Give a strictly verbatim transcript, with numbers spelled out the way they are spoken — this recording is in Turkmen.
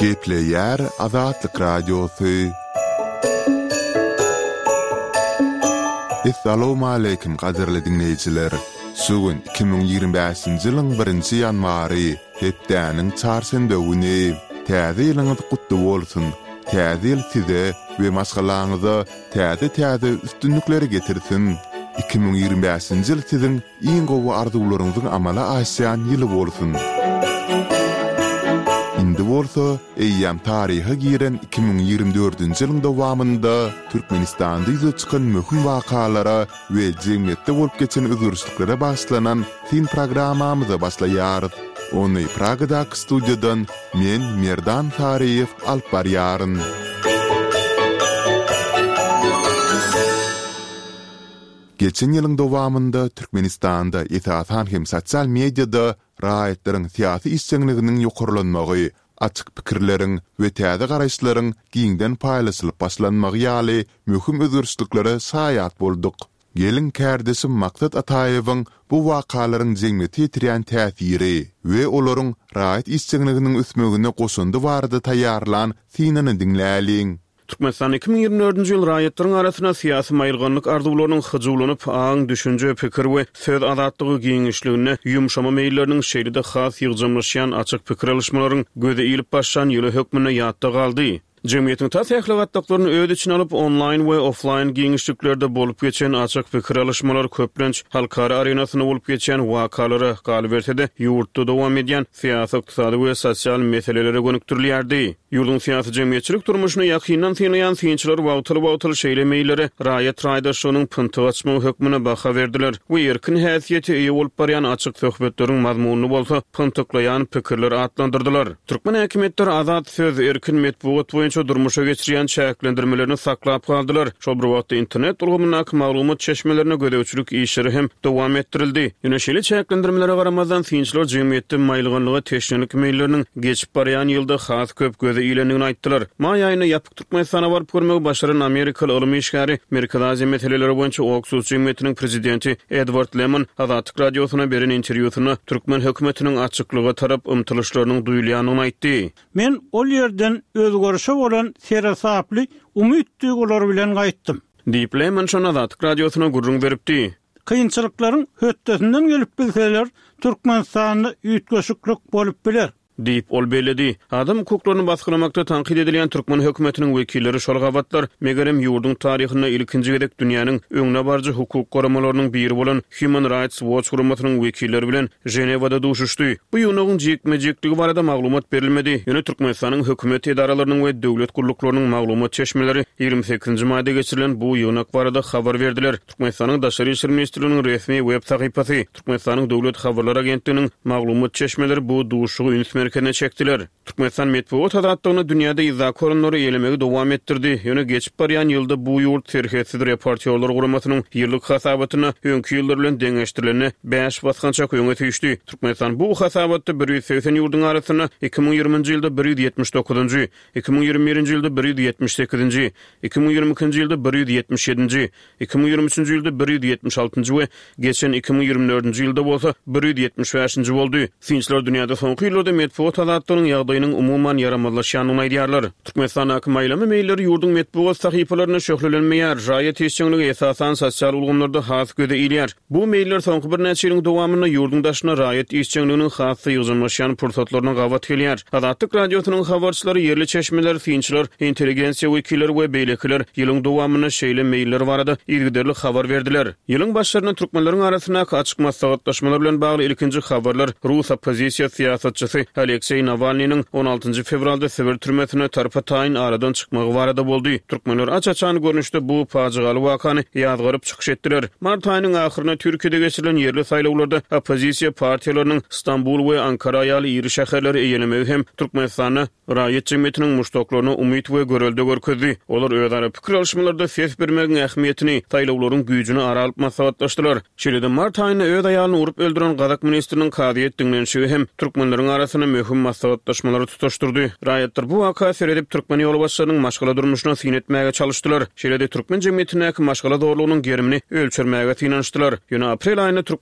Gepleýär Azatlyk Radiosy. Essalawmaleýkim gadyrly diňleýjiler! Şu gün iki müň ýigrimi bäşinji ýylyň birinji ýanwary, hepdäniň çarşenbe güni. Täze ýylyňyz gutly bolsun! Täze ýyl size we maşgalaňyza täze-täze üstünlikleri getirsin! Iki müň ýigrimi bäşinji ýyl siziň iň gowy arzuwlaryňyzyň amala aşýan ýyly bolsun! Indi bolsa, eýýäm taryha giren iki müň ýigrimi dördünji ýylyň dowamynda Türkmenistanda ýüze çykan möhüm wakalara we jemgyýetde bolup geçen özgerişliklere bagyşlanan syn programmamyza başlaýarys. Ony Pragadaky studiýadan men, Merdan Saryýew alyp barýaryn. Geçen ýylyň dowamynda Türkmenistanda, esasan hem sosial mediada raýatlaryň syýasy işjeňliginiň ýokarlanmagy, açyk pikirleriň we täze garaýyşlaryň giňden paýlaşylyp başlanmagy ýaly möhüm özgerişliklere şaýat bolduk. Geliň, kärdeşim Maksat Ataýewiň bu wakalaryň jemgyýete ýetirýän täsiri we olaryň raýat işjeňliginiň ösmegine goşandy barada taýýarlan synyny diňläliň. Türkmenistan iki müň ýigrimi dördünji ýyl raýatlaryň arasynda syýasy maýylganlyk arzuwlarynyň hyjuwlanyp, aň, düşünje, pikir we söz azatlygy giňişliginde ýumşama meýilleriniň şeýle-de has ýygjamlaşýan açyk pikir alyşmalaryň göze ilip başlan ýyly hökmünde ýatda galdy. Jemgyýetiň tas ähli gatlaklaryny öz içine alyp, onlaýn we oflaýn giňişliklerde bolup geçen açyk pikir alyşmalar köplenç halkara arenasynda bolup geçýän wakalara, galyberse-de, ýurtda dowam edýän syýasy, ykdysady we sosial meselelere gönükdirilýärdi. Ýurduň syýasy-jemgyýetçilik durmuşyny ýakyndan synlaýan synçylar wagtal-wagtal şeýle meýillere raýat raýdaşlygynyň pyntyk açmagy hökmünde baha berdiler we erkin häsiýete eýe bolup barýan açyk söhbetleriň mazmunyny bolsa pyntyklaýan pikirler atlandyrdylar. Türkmen häkimiýetleri azat söz, erkin metbugat boýunça durmuşa geçirýän çäklendirmelerini saklap galdylar. Şol bir wagtda internet ulgamyndaky maglumat çeşmelerine gözegçilik işleri hem dowam etdirildi. Ýöne şeýle çäklendirmelere garamazdan, synçylar jemgyýetde maýylganlyga teşnelik meýilleriniň geçip barýan ýylda has köp göze ilendigini aýtdylar. Maý aýynda ýapyk Türkmenistana baryp görmegi başaran amerikaly ylym işgäri, Merkezi Aziýa meseleleri boýunça Oksus jemgyýetiniň prezidenti Edward Lemon Azatlyk Radiosyna beren interwýusynda türkmen hökümetiniň açyklyga tarap ymtylyşlarynyň duýulýandygyny aýtdy. Men ol ýerden özgerişe bolan seresaply umyt duýgulary bilen gaýtdym. Diýip, Lemon şonda Azatlyk Radiosyna gürrüň beripdi. Kynçylyklaryň hötdesinden gelip bilseler, Türkmenistanda üýtgeşiklik bolup biler. Diýip, ol belledi. Adam hukuklaryny basgylamakda tankyt edilýän türkmen hökümetiniň wekilleri şol gabatlar, megerem, ýurduň taryhynda ilkinji gezek dünýäniň öňdebaryjy hukuk guramalarynyň biri bolan Human Rights Watch guramasynyň wekilleri bilen Ženewada duşuşdy. Bu ýygnagyň jikme-jikligi barada maglumat berilmedi, ýöne Türkmenistanyň hökümet edaralarynyň we döwlet gulluklarynyň maglumat çeşmeleri ýigrimi sekizinji maýda geçirilen bu ýygnak barada habar berdiler. Türkmenistanyň Daşary işler ministrliginiň resmi web sahypasy, Türkmenistanyň Döwlet habarlar agentliginiň maglumat çeşmeleri bu duşuşygy üns merkezine çekdiler. Türkmenistan metbugat azatlygynda dünýäde yzdaky orunlary eýelemegi dowam etdirdi, ýöne geçip barýan ýylda bu ýurt Serhetsiz reportýorlar guramasynyň ýyllyk hasabatynda öňki ýyllar bilen deňeşdirilende bäş basgançak öňe süýşdi. Türkmenistan bu hasabatda bir ýüz segsen ýurduň arasynda iki müň ýigriminji ýylda bir ýüz ýetmiş dokuzynjy, iki müň ýigrimi birinji ýylda bir ýüz ýetmiş sekizinji, iki müň ýigrimi ikinji ýylda bir ýüz ýetmiş ýedinji, iki müň ýigrimi üçünji ýylda bir ýüz ýetmiş altynjy we geçen iki müň ýigrimi dördünji ýylda bolsa bir ýüz ýetmiş bäşinji boldy. Synçylar dünýäde soňky ýyllarda metbugat azatlygynyň ýagdaýynyň umuman ýaramazlaşýandygyny aýdýarlar. Türkmenistandaky maýlama meýilleri ýurduň metbugat sahypalarynda şöhlelenmeýär, raýat işjeňligi esasan sosial ulgamlarda has göze ilýär. Bu meýiller soňky birnäçe ýylyň dowamynda ýurduň daşynda raýat işjeňliginiň has-da ýygjamlaşýan pursatlaryna gabat gelýär. Azatlyk Radiosynyň habarçylary, ýerli çeşmeler, synçylar, intelligensiýa wekilleri we beýlekiler ýylyň dowamynda şeýle meýiller barada yzygiderli habar berdiler. Ýylyň başlarynda türkmenleriň arasyndaky açyk maslahatlaşmalar bilen bagly ilkinji habarlar rus oppozisiýa syýasatçysy Alekseý Nawalnynyň on altynjy fewralda Sibir türmesinde tarpa-taýyn aradan çykmagy barada boldy. Türkmenler aç-açan görnüşde bu pajygaly wakany ýazgaryp çykyş etdiler. Mart aýynyň ahyrynda Türkiýede geçirilen ýerli saýlawlarda oppozisiýa partiýalarynyň Stambul we Ankara ýaly iri şäherleri eýelemegi hem Türkmenistanda raýat jemgyýetiniň muşdaklaryna umyt we görelde görkezdi. Olar özara pikir alyşmalarda ses bermegiň ähmiýetini, saýlawlaryň güýjüni ara alyp maslahatlaşdylar. Şeýle-de mart aýynda öz aýalyny urup öldüren gazak ministriniň kazyýet diňlenişigi hem türkmenleriň arasynda möhüm maslahatlaşmalary tutaşdyrdy. Raýatlar bu waka seredip türkmen ýolbaşçylarynyň maşgala durmuşyna syn etmäge çalyşdylar. Şeýle-de türkmen jemgyýetindäki maşgala zorlugynyň gerimini ölçermäge synanyşdylar. Ýöne aprel aýynda